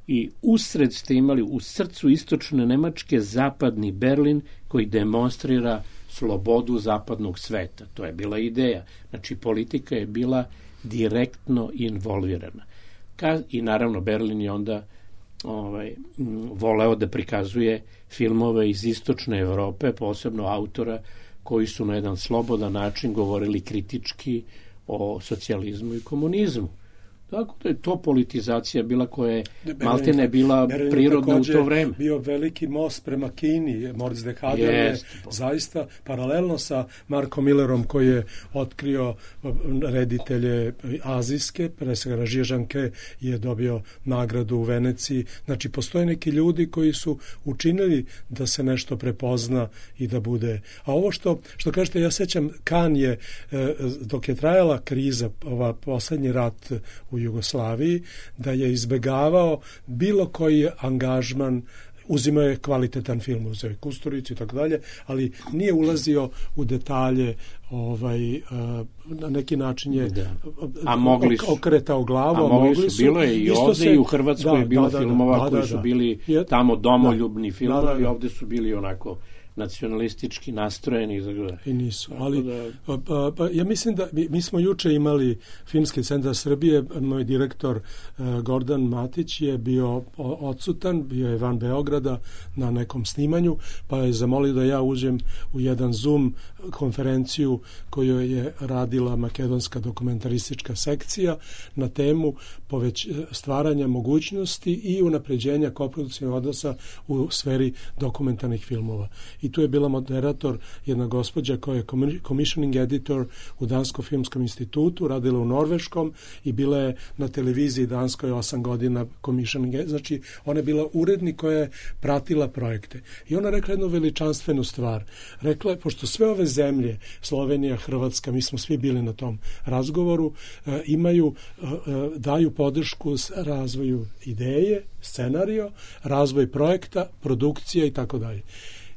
i usred ste imali u srcu istočne Nemačke zapadni Berlin koji demonstrira slobodu zapadnog sveta. To je bila ideja. Znači politika je bila direktno involvirana. Ka, I naravno Berlin je onda ovaj, m, voleo da prikazuje filmove iz istočne Evrope, posebno autora koji su na jedan slobodan način govorili kritički o socijalizmu i komunizmu. Tako da je to politizacija bila koja je maltene bila Berlin prirodna u to vreme. Bio veliki most prema Kini. Moritz de Hader je zaista paralelno sa Markom Millerom koji je otkrio reditelje azijske, pre svega Žije Žanke je dobio nagradu u Veneciji. Znači, postoje neki ljudi koji su učinili da se nešto prepozna i da bude. A ovo što, što kažete, ja sećam, Cannes je, dok je trajala kriza, ova poslednji rat u Jugoslaviji, da je izbegavao bilo koji angažman, uzimao je kvalitetan film, uzeo je Kusturicu i tako dalje, ali nije ulazio u detalje, ovaj, na neki način je da. A mogli su, okretao glavu, a mogli, mogli su, bilo je i ovde se, i u Hrvatskoj da, je bilo da, filmova da, da, koji da, su bili da. tamo domoljubni da, filmovi, da, da, da. Ovde su bili onako nacionalistički nastrojeni. I nisu, ali pa, pa, pa, ja mislim da mi, mi smo juče imali Filmski centar Srbije, moj direktor uh, Gordan Matić je bio odsutan, bio je van Beograda na nekom snimanju, pa je zamolio da ja uđem u jedan Zoom konferenciju koju je radila makedonska dokumentaristička sekcija na temu poveć, stvaranja mogućnosti i unapređenja koprodukcijnog odnosa u sferi dokumentarnih filmova. I tu je bila moderator jedna gospođa koja je commissioning editor u Danskom filmskom institutu, radila u Norveškom i bila je na televiziji Danskoj osam godina commissioning, znači ona je bila urednik koja je pratila projekte. I ona rekla jednu veličanstvenu stvar. Rekla je, pošto sve ove zemlje, Slovenija, Hrvatska, mi smo svi bili na tom razgovoru, imaju, daju podršku razvoju ideje, scenario, razvoj projekta, produkcija i tako dalje.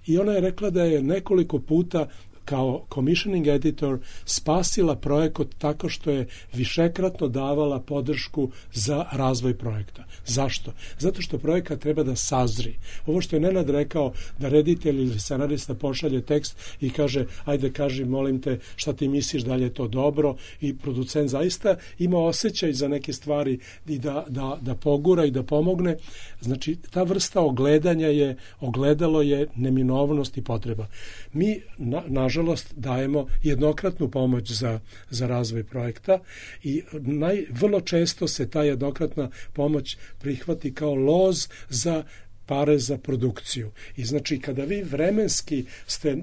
I ona je rekla da je nekoliko puta kao commissioning editor spasila projekat tako što je višekratno davala podršku za razvoj projekta. Zašto? Zato što projekat treba da sazri. Ovo što je Nenad rekao, da reditelj ili scenarista pošalje tekst i kaže, ajde kaži, molim te, šta ti misliš, da li je to dobro, i producent zaista ima osjećaj za neke stvari i da, da, da pogura i da pomogne. Znači, ta vrsta ogledanja je, ogledalo je neminovnost i potreba. Mi, na, nažalost, dajemo jednokratnu pomoć za, za razvoj projekta i naj, vrlo često se ta jednokratna pomoć prihvati kao loz za pare za produkciju. I znači kada vi vremenski ste uh,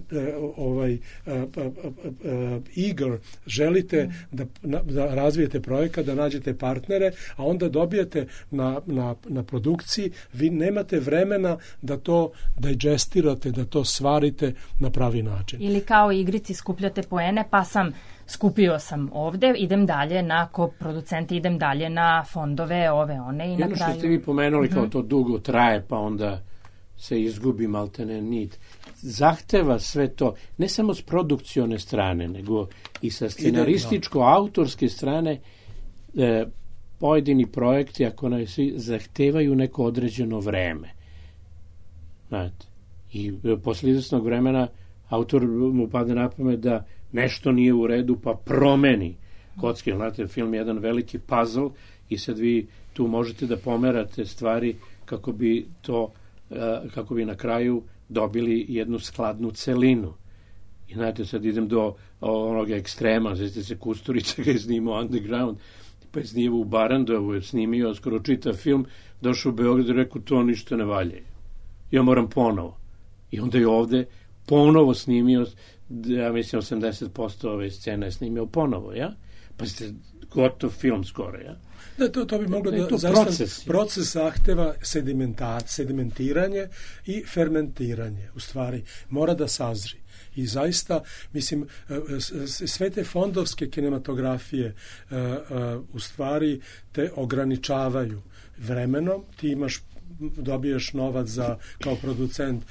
ovaj uh, uh, uh, eager, želite da, na, da razvijete projekat, da nađete partnere, a onda dobijete na, na, na produkciji, vi nemate vremena da to digestirate, da to svarite na pravi način. Ili kao igrici skupljate poene, pa sam skupio sam ovde, idem dalje na koproducente, idem dalje na fondove, ove, one i na kraju... Jedno što ste vi pomenuli kao to dugo traje, pa onda se izgubi maltene nit. Zahteva sve to, ne samo s produkcione strane, nego i sa scenarističko-autorske strane, e, pojedini projekti, ako ne svi, zahtevaju neko određeno vreme. Znate, i posle izvesnog vremena autor mu padne na pamet da nešto nije u redu, pa promeni kocke. Znate, film je jedan veliki puzzle i sad vi tu možete da pomerate stvari kako bi to, kako bi na kraju dobili jednu skladnu celinu. I znate, sad idem do onog ekstrema, znači se Kusturica ga je snimao Underground, pa je snimao u Barandovu, je snimio skoro čitav film, došao u Beograd i rekao, to ništa ne valja. Ja moram ponovo. I onda je ovde ponovo snimio, ja mislim osamdeset posto ove scene je snimio ponovo, ja? Pa ste gotov film skoro, ja? Da, to, to bi moglo da, da zaista, proces. proces zahteva sedimentiranje i fermentiranje, u stvari, mora da sazri. I zaista, mislim, sve te fondovske kinematografije u stvari te ograničavaju vremenom, ti imaš dobiješ novac za, kao producent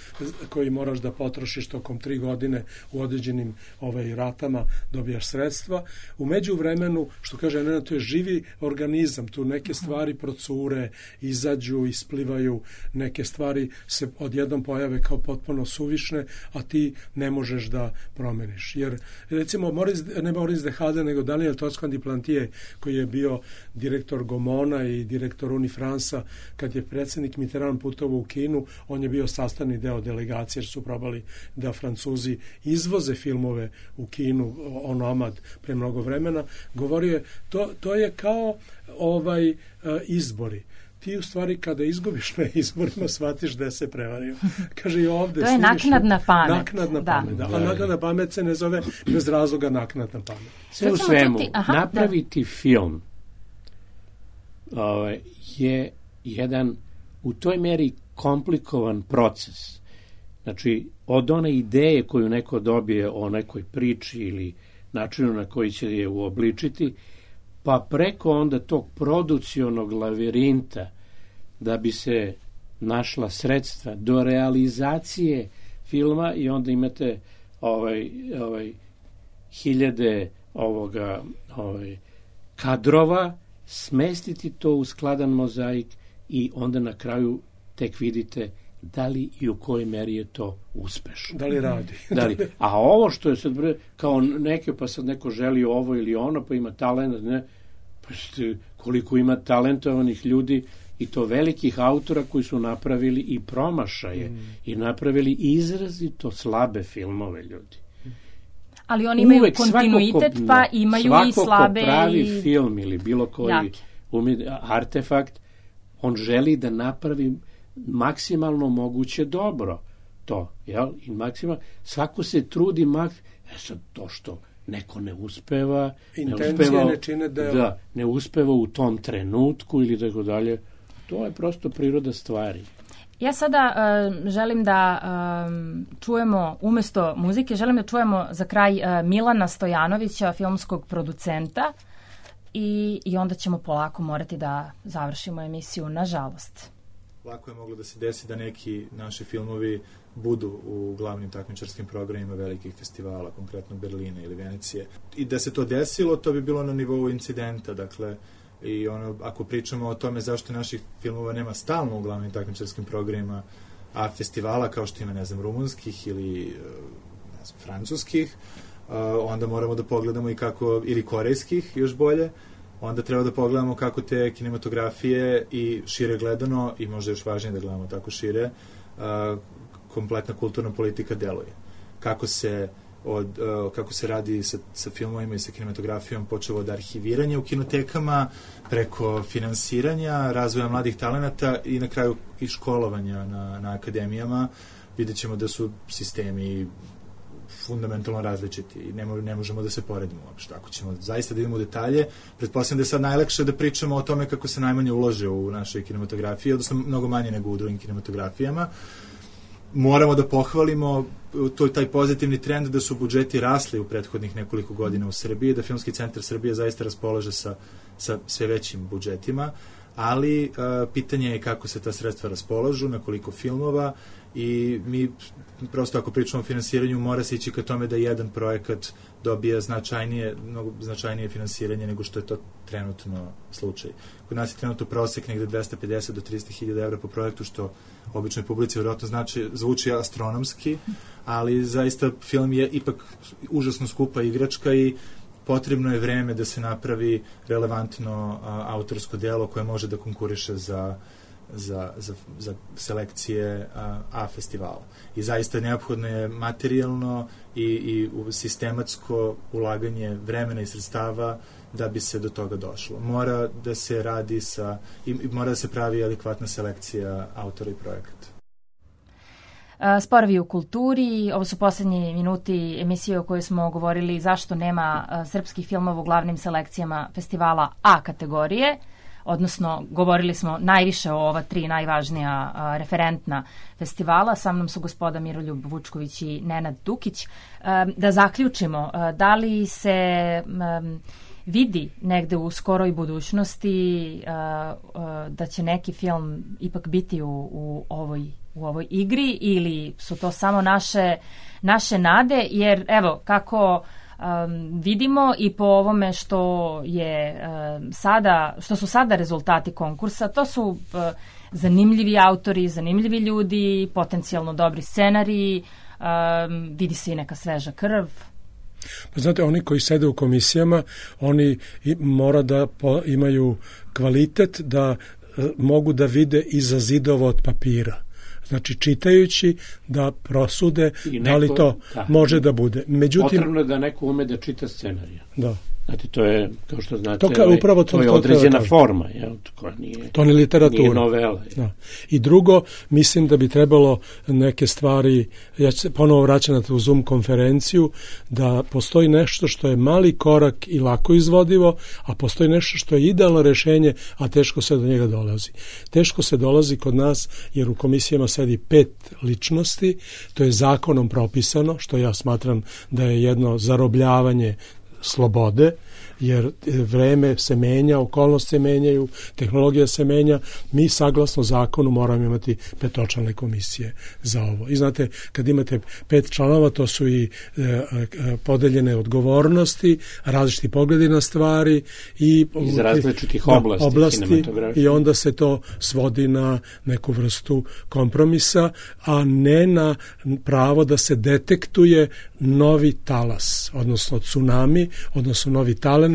koji moraš da potrošiš tokom tri godine u određenim ovaj, ratama, dobijaš sredstva. U međuvremenu, što kaže Nena, to je živi organizam, tu neke stvari procure, izađu, isplivaju, neke stvari se odjednom pojave kao potpuno suvišne, a ti ne možeš da promeniš. Jer, recimo, Maurice, ne Maurice de Hade, nego Daniel Toscan-du-Plantier, koji je bio direktor Gomona i direktor Unifransa, kad je predsjednik Mitterrand putovao u Kinu, on je bio sastavni deo delegacije, jer su probali da Francuzi izvoze filmove u Kinu, onomad, pre mnogo vremena. Govorio je, to, to je kao ovaj izbori. Ti u stvari kada izgubiš na izborima shvatiš da se prevario. Kaže i ovde. To je naknadna pamet. Naknadna da. pamet, da. A naknadna pamet se ne zove bez razloga naknadna pamet. Sve u svemu, Aha, napraviti da. film ovaj, je jedan u toj meri komplikovan proces. Znači, od one ideje koju neko dobije o nekoj priči ili načinu na koji će je uobličiti, pa preko onda tog producionog lavirinta da bi se našla sredstva do realizacije filma i onda imate ovaj, ovaj, hiljade ovoga, ovaj, kadrova, smestiti to u skladan mozaik i onda na kraju tek vidite da li i u kojoj meri je to uspešno. Da li radi. Da li, a ovo što je sad kao neke, pa sad neko želi ovo ili ono, pa ima talent, ne, pa ste, koliko ima talentovanih ljudi i to velikih autora koji su napravili i promašaje mm. i napravili izrazito slabe filmove, ljudi. Ali oni imaju uvek kontinuitet, ko, pa imaju i slabe svako ko pravi i film ili bilo koji umid, artefakt, on želi da napravi maksimalno moguće dobro to, jel? I maksimalno, svako se trudi mak... E sad, to što neko ne uspeva, intencije ne uspeva, ne čine deo. Da, ne uspeva u tom trenutku ili tako dalje. To je prosto priroda stvari. Ja sada uh, želim da um, čujemo, umesto muzike, želim da čujemo za kraj uh, Milana Stojanovića, filmskog producenta, i, i onda ćemo polako morati da završimo emisiju, nažalost. Lako je moglo da se desi da neki naši filmovi budu u glavnim takmičarskim programima velikih festivala, konkretno Berlina ili Venecije. I da se to desilo, to bi bilo na nivou incidenta, dakle, i ono, ako pričamo o tome zašto naših filmova nema stalno u glavnim takmičarskim programima, a festivala kao što ima, ne znam, rumunskih ili ne znam, francuskih, onda moramo da pogledamo i kako, ili korejskih, još bolje, onda treba da pogledamo kako te kinematografije i šire gledano, i možda još važnije da gledamo tako šire, kompletna kulturna politika deluje. Kako se od, uh, kako se radi sa, sa filmovima i sa kinematografijom, počeo od arhiviranja u kinotekama, preko finansiranja, razvoja mladih talenata i na kraju i školovanja na, na akademijama. Vidjet ćemo da su sistemi fundamentalno različiti i ne, ne možemo da se poredimo uopšte. Ako ćemo zaista da idemo u detalje, pretpostavljam da je sad najlakše da pričamo o tome kako se najmanje ulože u našoj kinematografiji, odnosno mnogo manje nego u drugim kinematografijama. Moramo da pohvalimo to, taj pozitivni trend da su budžeti rasli u prethodnih nekoliko godina u Srbiji, da Filmski centar Srbije zaista raspolaže sa, sa sve većim budžetima, ali uh, pitanje je kako se ta sredstva raspolažu, na koliko filmova, i mi prosto ako pričamo o finansiranju mora se ići ka tome da jedan projekat dobija značajnije, mnogo značajnije finansiranje nego što je to trenutno slučaj. Kod nas je trenutno prosek negde dvesta pedeset do trista hiljada evra po projektu, što običnoj publici vjerojatno znači, zvuči astronomski, ali zaista film je ipak užasno skupa igračka i potrebno je vreme da se napravi relevantno a, autorsko delo koje može da konkuriše za Za, za, za selekcije A, A festivala. I zaista neophodno je materijalno i, i sistematsko ulaganje vremena i sredstava da bi se do toga došlo. Mora da se radi sa, i, i mora da se pravi adekvatna selekcija autora i projekata. Sporovi u kulturi, ovo su posljednji minuti emisije o kojoj smo govorili zašto nema srpskih filmova u glavnim selekcijama festivala A kategorije, odnosno govorili smo najviše o ova tri najvažnija a, referentna festivala. Sa mnom su gospoda Miroljub Vučković i Nenad Dukić. A, da zaključimo, a, da li se a, vidi negde u skoroj budućnosti a, a, da će neki film ipak biti u, u ovoj u ovoj igri ili su to samo naše, naše nade, jer evo kako um, vidimo i po ovome što je um, sada, što su sada rezultati konkursa, to su uh, zanimljivi autori, zanimljivi ljudi, potencijalno dobri scenariji, um, vidi se i neka sveža krv. Pa znate, oni koji sede u komisijama, oni mora da po, imaju kvalitet da uh, mogu da vide iza zidova od papira. Znači, čitajući da prosude neko, da li to da, može da bude. Međutim, potrebno je da neko ume da čita scenarija. Da. Znate, to je, kao što znate, to, ka, upravo to, to je to, određena to, forma. Jel? Koja nije, to ne literatura. Nije novela. Da. I drugo, mislim da bi trebalo neke stvari, ja ću se ponovo vraćati na tu Zoom konferenciju, da postoji nešto što je mali korak i lako izvodivo, a postoji nešto što je idealno rešenje, a teško se do njega dolazi. Teško se dolazi kod nas, jer u komisijama sedi pet ličnosti, to je zakonom propisano, što ja smatram da je jedno zarobljavanje slobode, jer vreme se menja, okolnosti se menjaju, tehnologija se menja, mi saglasno zakonu moramo imati petočlane komisije za ovo. I znate, kad imate pet članova, to su i e, e, podeljene odgovornosti, različiti pogledi na stvari i iz različitih oblasti, oblasti i onda se to svodi na neku vrstu kompromisa, a ne na pravo da se detektuje novi talas, odnosno tsunami, odnosno novi talenat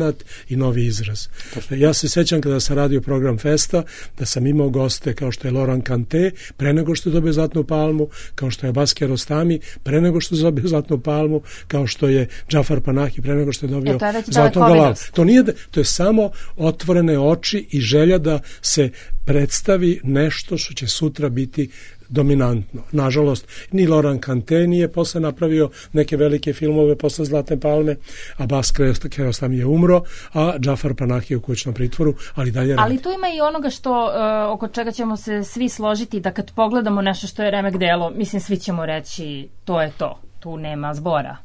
i novi izraz. Ja se sećam kada sam radio program Festa, da sam imao goste kao što je Laurent Kanté, pre nego što je dobio Zlatnu palmu, kao što je Abbas Kiarostami, pre nego što je dobio Zlatnu palmu, kao što je Džafar Panahi, pre nego što je dobio e, Zlatnu galavu. To nije, to je samo otvorene oči i želja da se predstavi nešto što će sutra biti dominantno. Nažalost, ni Laurent Kanté nije posle napravio neke velike filmove posle Zlatne palme, a Abbas Kiarostami je umro, a Džafar Panahi je u kućnom pritvoru, ali dalje radi. Ali tu ima i onoga što, uh, oko čega ćemo se svi složiti, da kad pogledamo nešto što je remek delo, mislim, svi ćemo reći to je to, tu nema zbora.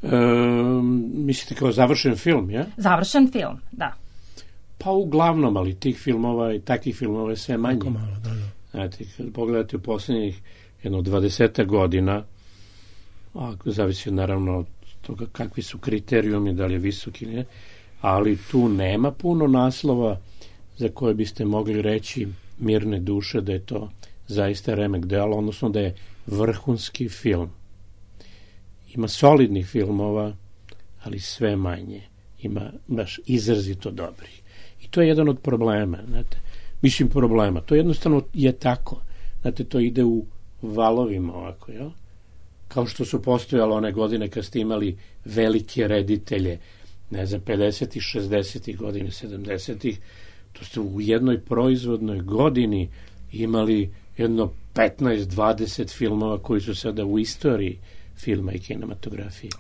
E, mislite kao završen film, ja? Završen film, da. Pa uglavnom, ali tih filmova i takvih filmova je sve manje. Tako malo, da, da. Znate, kad pogledate u posljednjih jedno dvadeseta godina, a zavisi naravno od toga kakvi su kriterijumi, da li je visok ili ne, ali tu nema puno naslova za koje biste mogli reći mirne duše da je to zaista remek delo, odnosno da je vrhunski film. Ima solidnih filmova, ali sve manje. Ima baš izrazito dobri. I to je jedan od problema, znate. Mislim problema. To jednostavno je tako. Znate, to ide u valovima ovako, jel? Kao što su postojale one godine kad ste imali velike reditelje, ne znam, pedesetih, šezdesetih godine, sedamdesetih, to ste u jednoj proizvodnoj godini imali jedno petnaest dvadeset filmova koji su sada u istoriji filma i kinematografije.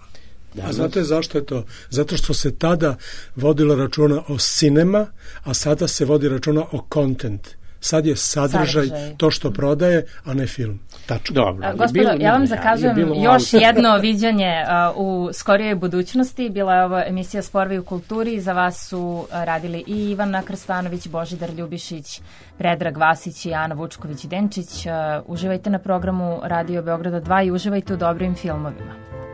Danas. A znate zašto je to? Zato što se tada vodilo računa o cinema, a sada se vodi računa o content. Sad je sadržaj, sadržaj to što prodaje, a ne film. Tačno. Dobro. Gospodo, ja vam zakazujem još jedno viđanje uh, u skorijoj budućnosti. Bila je ovo emisija Sporovi u kulturi. Za vas su radili i Ivana Krstanović, Božidar Ljubišić, Predrag Vasić i Ana Vučković-Denčić. Uh, uživajte na programu Radio Beograda dva i uživajte u dobrim filmovima.